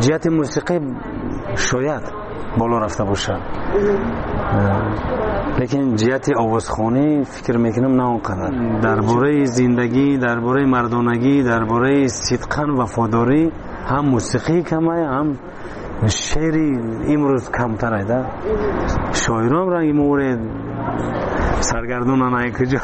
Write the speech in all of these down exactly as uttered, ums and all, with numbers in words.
Ҷиҳати мусиқӣ шояд боло рафта бошад, лекин ҷиҳати овозхонӣ фикр мекунам на он қадар. Дар бораи зиндагӣ, дар бораи мардонагӣ, дар бораи сидқан вафодорӣ ҳам мусиқӣ камай, ҳам шеъри имрӯз камтарай да. Шоирон ранги муре саргардонан ай куҷо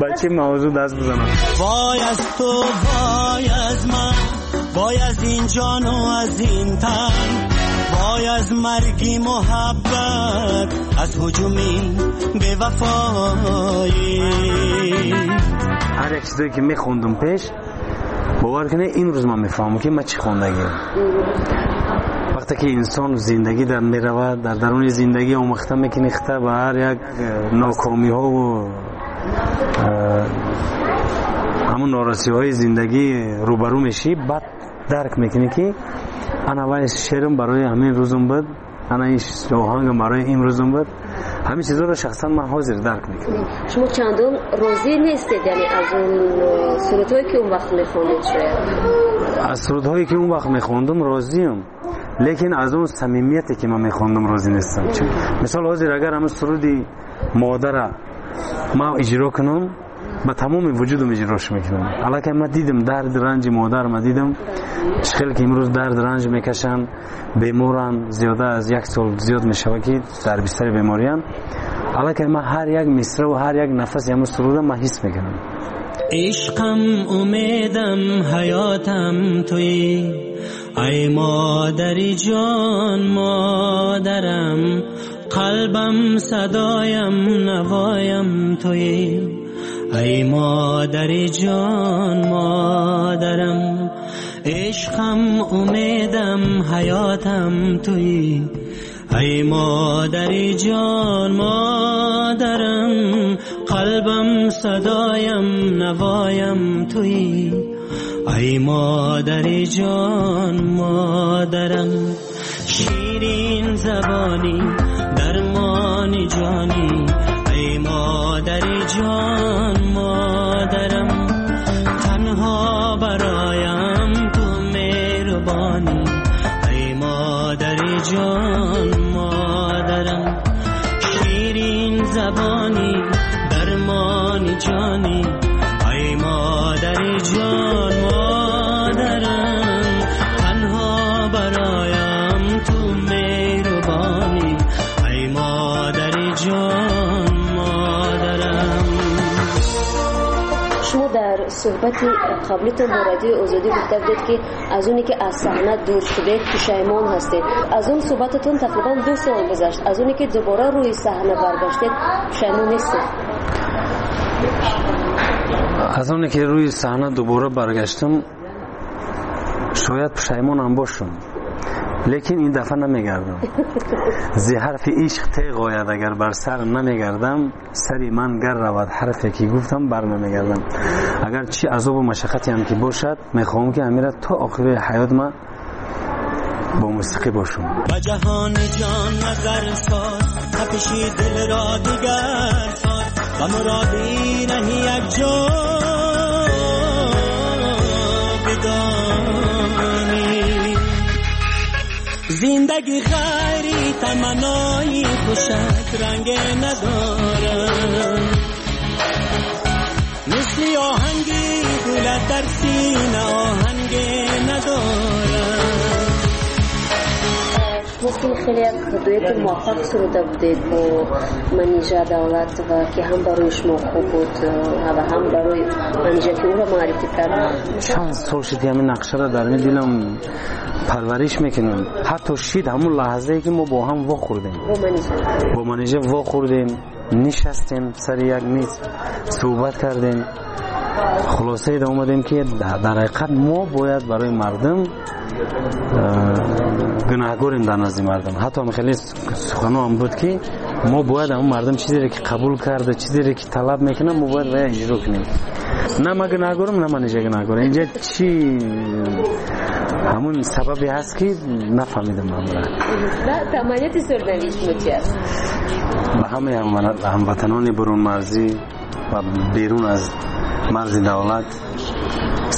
ба чӣ мавзӯъ даст бизананд. Вой аз ту, вой аз ман, вой аз ин ҷону аз ин тан, вой аз марги муҳаббат, аз ҳуҷуми бевафоӣ. Ҳар як чизое ки мехондум пеш, бовар кунед, имрӯз ман мефаҳмам ки ман чӣ хондагиам. Вақте ки инсон зиндагӣ дар меравад, дар даруни зиндагӣ омӯхта мекунӣ хита ба ҳар як нокомиҳову ҳамун норасиҳои зиндагӣ рӯбарӯ мешӣ, баъд дарк мекунӣ ки ана вай шеърам барои ҳамин рӯзам буд, ана ин оҳангам барои имрӯзам буд. Ҳамин чизҳоро шахсан ман ҳозир дарк мекунам. Шумо чандон розӣ нестед, яъне аз он сурудҳое ки он вақт мехондед? Шояд аз сурудҳое ки он вақт мехондум розиям, лекин аз он самимияте ки ман мехондум розӣ нестам. Мисол ҳозир агар ҳамин суруди модара ман иҷро кунам, ба тамоми вуҷудам иҷрош мекунам. Аллакай ман дидам дард ранҷи модар, ман дидам чӣ хел ки имрӯз дард ранҷ мекашанд, беморанд, зиёда аз як сол зиёд мешавад ки дар бистари беморианд. Аллакай ман ҳар як мисраву ҳар як нафаси ҳамин суруда ман ҳис мекунам. Ишқам, умедам, ҳаётам туӣ, ай модари ҷон модарам, қалбам, садоям, навоям туӣ, ай модари ҷон модарам, ишқам, умедам, ҳаётам туӣ, ай модари ҷон модарам, қалбам, садоям, навоям туӣ, ай модари ҷон модарам, ширин забонӣ, дармони ҷонӣ, ай модари ҷон модарам, танҳо бароям ту меҳрубонӣ, ай модари ҷон модарам, ширин забонӣ, дармони ҷонӣ, ай модари ҷон модарам, танҳо бароям ту меҳрубонӣ, ай модари ҷон модарам. Шумо дар суҳбати қаблитон бо Радиои Озодӣ гуфта будед ки аз оне ки аз саҳна дур шудед пушаймон ҳастед. Аз он суҳбататон тақрибан ду сол гузашт. Аз оне ки дубора рӯи саҳна баргаштед пушаймон нестед? Аз оне ки рӯи саҳна дубора баргаштам шояд пушаймонам бошам, лекин ин дафъа намегардам. Зи ҳарфи ишқ теғ ояд агар бар сар намегардам, сари ман гар равад ҳарфе ки гуфтам бар намегардам. Агар чӣ азобу машаққате ки бошад, мехоҳам ки ҳамира то охири ҳаёт ман бо мусиқӣ бошам. Ба ҷаҳони ҷон назар соз, тапиши дилро дигар соз, ба муроди раҳи як ҷо бидонӣ. Зиндагӣ ғайри таманнои хушак ранг надорад, мисли оҳанги гулат дар сина оҳанг надорад. Шумо ки хеле як дуэти муваффақ суруда будед бо Манижа Давлатова, ки ҳам барои шумо хуб буд ва ҳам барои Манижа ки ӯро муаррифӣ кард. Чанд сол шуд ки ҳамин нақшаро дар ин дилам парвариш мекунам. Ҳатто шид ҳамун лаҳзае ки мо бо ҳам вохӯрдем, бо Манижа вохӯрдем, нишастем сари як миз суҳбат кардем, хулосае омадем ки дар ҳақиқат мо бояд барои мардум гунаҳгорем дар назди мардум. Ҳатто хеле суханҳоам буд ки мо бояд ҳамун мардум чизере ки қабул карда, чизере ки талаб мекунад, мо бояд вая иҷро кунем. На ман гунаҳгорам, на Манижа гунаҳгорам. Инҷа чӣ ҳамун сабабе ҳаст ки нафаҳмидам ҳамра. Таманниёти сӯрнавии шумо чи аст? Ба ҳамаи ҳамватанони бурунмарзӣ ва берун аз марзи давлат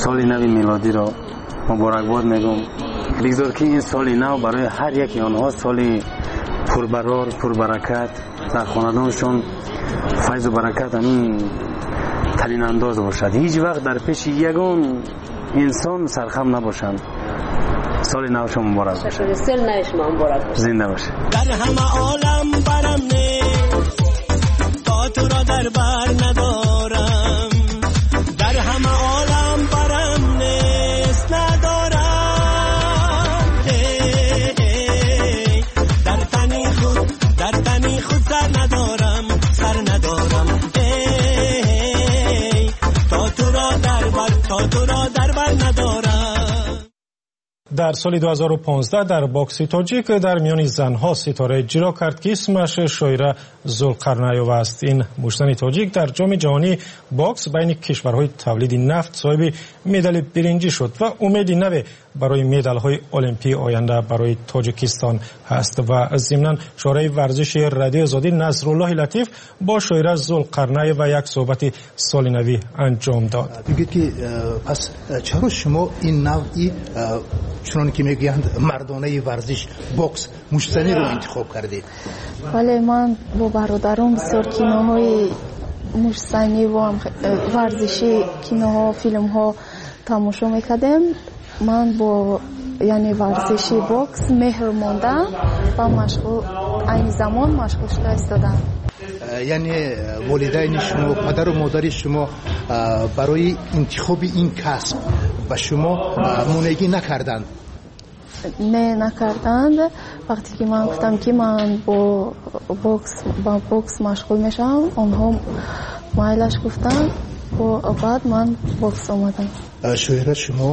соли нави милодиро муборакбод мегӯм. Бигзор ки ин соли нав барои ҳар яки онҳо соли пурбарор, пурбаракат, дар хонадоншон файзу баракат ҳамин талинандоз бошад. Ҳеҷ вақт дар пеши ягон инсон сархам набошанд. Соли навшон муборак бошад. Соли нави шумо муборак бошад. Зинда бошед. Дар ҳама олам барам нест, то туро дар бар надорам. Дар ҳама олам барам нест, надорам. Дар тани худ, дар тани худ сар надорам, сар надорам. То туро дар бар, то туро дар бар надорам. Дар соли ду ҳазору понздаҳ дар бокси тоҷик дар миёни занҳо ситора иҷро кард, ки исмаш Шоира Зулқарнаева аст. Ин муштзани тоҷик дар ҷоми ҷаҳонии бокс байни кишварҳои тавлиди нафт соҳиби медали биринҷӣ шуд ва умеди наве барои медалҳои олимпии оянда барои Тоҷикистон ҳаст. Ва зимнан шораи варзиши Радиои Озодӣ Насруллоҳи Латиф бо Шоира Зулқарнаева як суҳбати соли навӣ анҷом дод. Мегӯяд ки пас чаро шумо ин навъи чунон ки мегӯянд мардонаи варзиш бокс муштзаниро интихоб кардед? Бале, ман бо бародарон бисёр киноҳои муштзанӣ ва варзишӣ киноҳо, филмҳо тамошо мекардем. Ман бо яъне варзиши бокс меҳр мондам ва машғул айни замон машғул шуда истодам. Яъне волидайни шумо, падару модари шумо барои интихоби ин касб ба шумо монеъгӣ накарданд? Не, накарданд. Вақте ки ман гуфтам ки ман бо бокс, ба бокс машғул мешавам, онҳо майлаш гуфтанд. Баъд ман бокс омадам. Шоира, шумо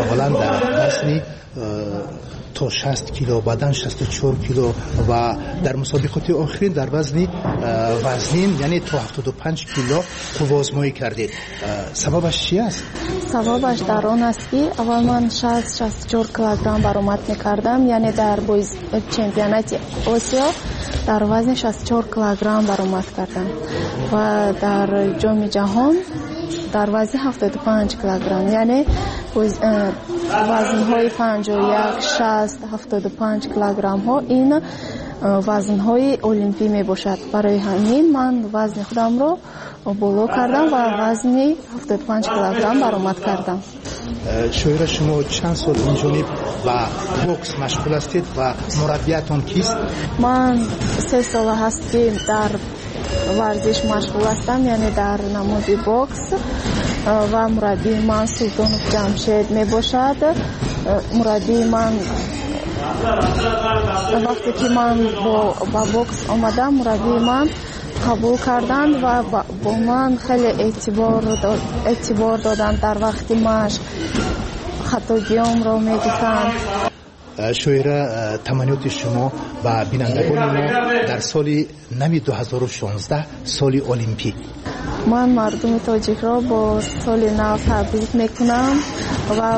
аввалан дар вазни то шаст кило, баъдан шасту чор кило ва дар мусобиқоти охирин дар вазни вазнин, яъне то ҳафтоду панҷ кило қувваозмоӣ кардед. Сабабаш чи аст? Сабабаш дар он аст, ки аввал ман шаст шасту чор килограмм баромад мекардам, яъне дар чемпионати Осиё дар вазни шасту чор килограмм баромад кардам ва дар ҷоми ҷаҳон дар вазни ҳафтоду панҷ килограмм, яъне вазнҳои панҷоҳу як, шаст, ҳафтоду панҷ килограммҳо ин вазнҳои олимпӣ мебошад. Барои ҳамин ман вазни худамро боло кардам ва вазни ҳафтоду панҷ килограмм баромад кардам. Шоира, шумо чанд сол инҷониб ба бокс машғул ҳастед ва мураббиятон кист? Ман се сола ҳаст, ки дар варзиш машғул ҳастам, яъне дар намуди бокс, ва мураббии ман Султонов Ҷамшед мебошад. Мураббии ман вақте ки ман ба бокс омадам, мураббии ман қабул карданд ва бо ман хеле эътибор доданд. Дар вақти машқ хатогиёмро мегуфтанд. Шоира, таманниёти шумо ба бинандагони мо дар соли нави ду ҳазору шонздаҳ, соли олимпӣ? Ман мардуми тоҷикро бо соли нав табрик мекунам ва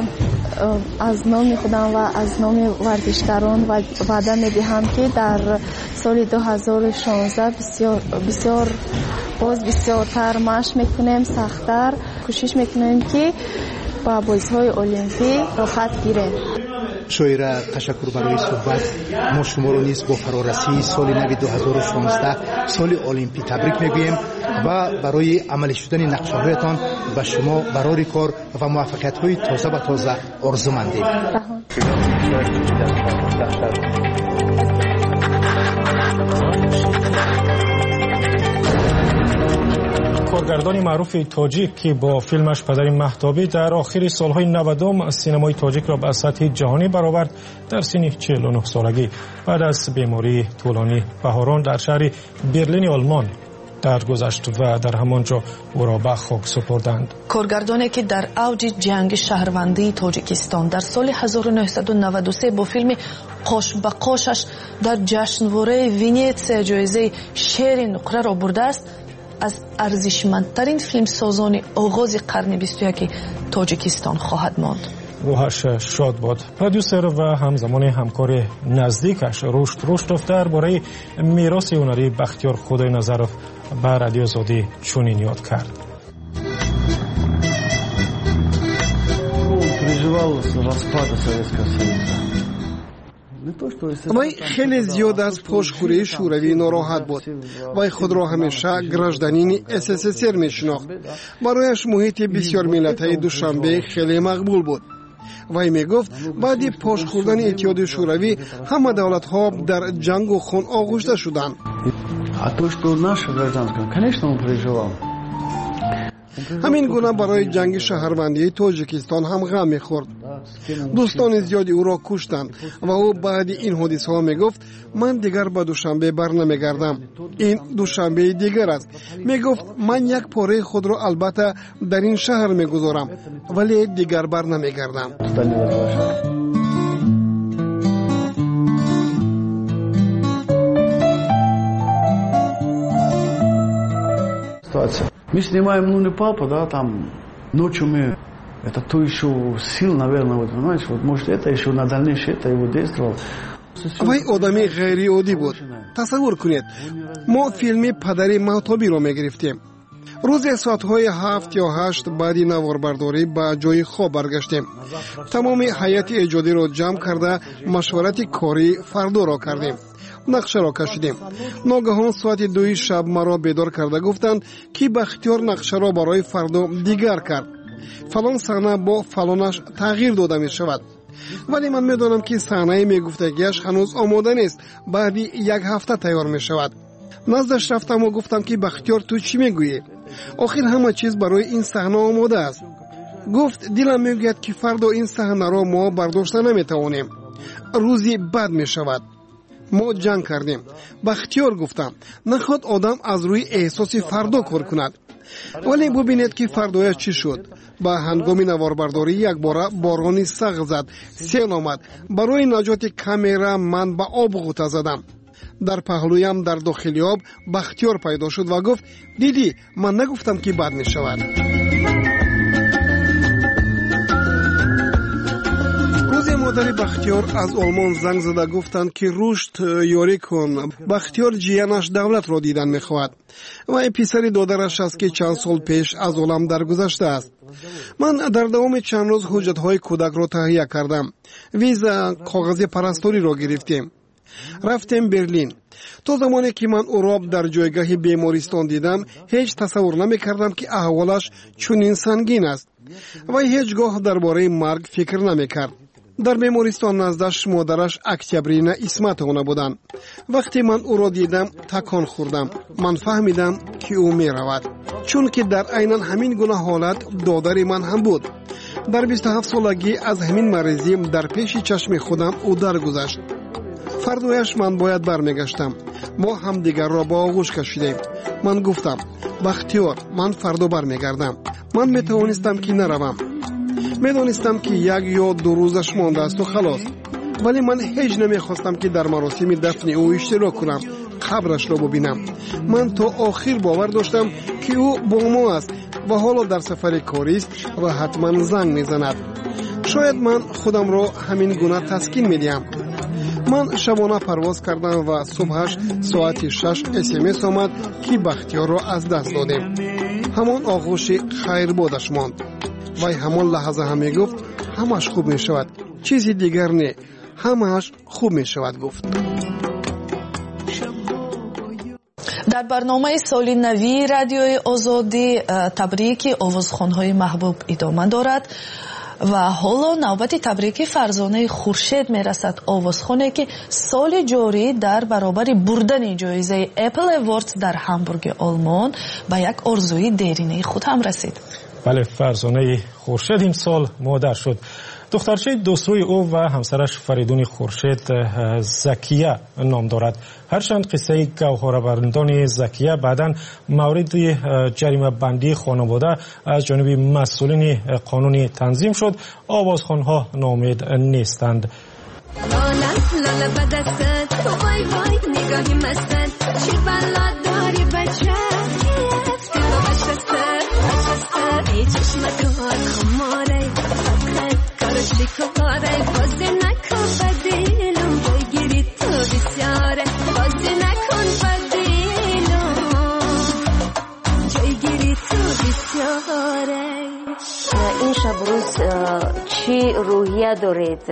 аз номи худам ва аз номи варзишгарон ваъда медиҳам, ки дар соли ду ҳазору шонздаҳ бисёр боз бисёртар машқ мекунем, сахттар кӯшиш мекунем, ки ба бозиҳои олимпӣ роҳат гирем. Шоира, ташаккур барои суҳбат. Мо шуморо низ бо фарорасии соли нави ду ҳазору шонздаҳ, соли олимпӣ табрик мегӯем ва барои амалӣ шудани нақшаҳоятон ба шумо барори кор ва муваффақиятҳои тоза ба тоза орзумандем. Коргардони маъруфи тоҷик, ки бо филмаш «Падари Маҳтобӣ» дар охири солҳои навадум синамои тоҷикро ба сатҳи ҷаҳонӣ баровард, дар синни чилу нӯҳ солагӣ баъд аз бемории тӯлонӣ баҳорон дар шаҳри Берлини Олмон даргузашт ва дар ҳамон ҷо ӯро ба хок супурданд. Коргардоне ки дар авҷи ҷанги шаҳрвандии Тоҷикистон дар соли ҳазору нӯҳсаду наваду се бо филми «Қош ба қошаш» дар ҷашнвораи Венетсия ҷоизаи шери нуқраро бурдааст, аз арзишмандтарин филмсозони оғози қарни бисту яки Тоҷикистон хоҳад монд. Рӯҳаш шод бод. Продюсер ва ҳамзамони ҳамкори наздикаш Рушд Руштов дар бораи мероси ҳунарии Бахтиёр Худойназаров ба Радиои Озодӣ чунин ёд кард. Переживал распада Советского Союза. Вай хеле зиёд аз пошхӯрии шӯравӣ нороҳат буд. Вай худро ҳамеша гражданини С С С Р мешинохт. Барояш муҳити бисёрмиллатаи Душанбе хеле мақбул буд. Вай мегуфт, баъди пош хӯрдани Иттиҳоди Шӯравӣ ҳама давлатҳо дар ҷангу хун оғушта шуданд. А то, что наша гражданская, конечно, он переживал. Ҳамин гуна барои ҷанги шаҳрвандии Тоҷикистон ҳам ғам мехӯрд. Дӯстони зиёди ӯро куштанд ва ӯ баъди ин ҳодисаҳо мегуфт: «Ман дигар ба Душанбе барнамегардам, ин Душанбеи дигар аст». Мегуфт: «Ман як пораи худро албатта дар ин шаҳр мегузорам, вале дигар барнамегардам». Туда не возвращаться. Ситуация. Мы снимаем «Ну не папа», да, там ночью мы, это то еще сил, наверное, вот, понимаешь, вот, может, это еще на дальнейшее это его действовало. Вай одами ғайриоддӣ буд. Тасаввур кунед, мо филми «Падари Маҳтобиро» мегирифтем. Рӯзе соатҳои ҳафт ё ҳашт баъди наворбардорӣ ба ҷои хоб баргаштем. Тамоми ҳайати эҷодиро ҷамъ карда, машварати кории фардоро кардем, нақшаро кашидем. Ногаҳон соати дуи шаб маро бедор карда гуфтанд, ки Бахтиёр нақшаро барои фардо дигар кард, фалон саҳна бо фалонаш тағйир дода мешавад. Вале ман медонам, ки саҳнаи мегуфтагиаш ҳанӯз омода нест, баъди як ҳафта тайёр мешавад. Наздаш рафтаму гуфтам, ки Бахтиёр, ту чӣ мегӯӣ? Охир ҳама чиз барои ин саҳна омода аст. Гуфт: «Дилам мегӯяд, ки фардо ин саҳнаро мо бардошта наметавонем, рӯзи бад мешавад». Мо ҷанг кардем. Бахтиёр, гуфтам, нахоҳад одам аз рӯи эҳсоси фардо кор кунад. Вале бубинед, ки фардояш чӣ шуд. Ба ҳангоми наворбардорӣ якбора борони сахт зад, сел омад. Барои наҷоти камера ман ба об ғӯта задам. Дар паҳлӯям дар дохили об Бахтиёр пайдо шуд ва гуфт: «Дидӣ, ман нагуфтам, ки бад мешавад?» Рӯзе модари Бахтиёр аз Олмон занг зада гуфтанд, ки Рушд, ёрӣ кун, Бахтиёр ҷиянаш Давлатро дидан мехоҳад. Вай писари додараш аст, ки чанд сол пеш аз олам даргузаштааст. Ман дар давоми чанд рӯз ҳуҷҷатҳои кӯдакро таҳия кардам, виза, коғази парасториро гирифтем, рафтем Берлин. То замоне ки ман ӯро дар ҷойгаҳи бемористон дидам, ҳеҷ тасаввур намекардам, ки аҳволаш чунин сангин аст. Вай ҳеҷ гоҳ дар бораи марг фикр намекард. Дар бемористон наздаш модараш Октябрина Исматовна буданд. Вақте ман ӯро дидам, такон хӯрдам. Ман фаҳмидам, ки ӯ меравад, чунки дар айнан ҳамин гуна ҳолат додари ман ҳам буд. Дар бисту ҳафт солагӣ аз ҳамин маризӣ дар пеши чашми худам ӯ даргузашт. Фардояш ман бояд бармегаштам. Мо ҳамдигарро ба оғӯш кашидем. Ман гуфтам: «Бахтиёр, ман фардо бармегардам». Ман метавонистам, ки наравам. Медонистам, ки як ё ду рӯзаш мондаасту халос, вале ман ҳеҷ намехостам, ки дар маросими дафни ӯ иштирок кунам, қабрашро бубинам. Ман то охир бовар доштам, ки ӯ бо мо аст ва ҳоло дар сафари корист ва ҳатман занг мезанад. Шояд ман худамро ҳамин гуна таскин медиҳам. Ман шабона парвоз кардам ва субҳаш соати шаш смс омад, ки Бахтиёрро аз даст додем. Ҳамон оғӯши хайрбодаш монд. Вай ҳамон лаҳза ҳам мегуфт: «Ҳамааш хуб мешавад, чизи дигар не, ҳамааш хуб мешавад», гуфт. Дар барномаи соли навии Радиои Озодӣ э, табрики овозхонҳои маҳбуб идома дорад ва ҳоло навбати табрики Фарзонаи Хуршед мерасад, овозхоне, ки соли ҷорӣ дар баробари бурдани ҷоизаи Apple Awards дар Ҳамбурги Олмон ба як орзуи деринаи худ ҳам расид. Бале, Фарзонаи Хуршед имсол модар шуд. Духтарчаи дӯстрӯи ӯ ва ҳамсараш Фаридуни Хуршед э, Закия ном дорад. Ҳарчанд қиссаи гавҳарабандони Закия баъдан мавриди э, ҷаримабандии хонавода аз ҷониби масъулини қонунӣ танзим шуд, овозхонҳо ноумед нестанд. لالا لالا بدستت، وای وای نگاهی مستت، چی بلا داری بچه ای چشمکات خماره، فقط کارش بیکاره. بازی نکن با دلم، بگیری تو بسیاره. بازی نکن با دلم، جایگیری تو بسیاره. Ин шабу рӯз чӣ рӯҳия рӯҳия доред.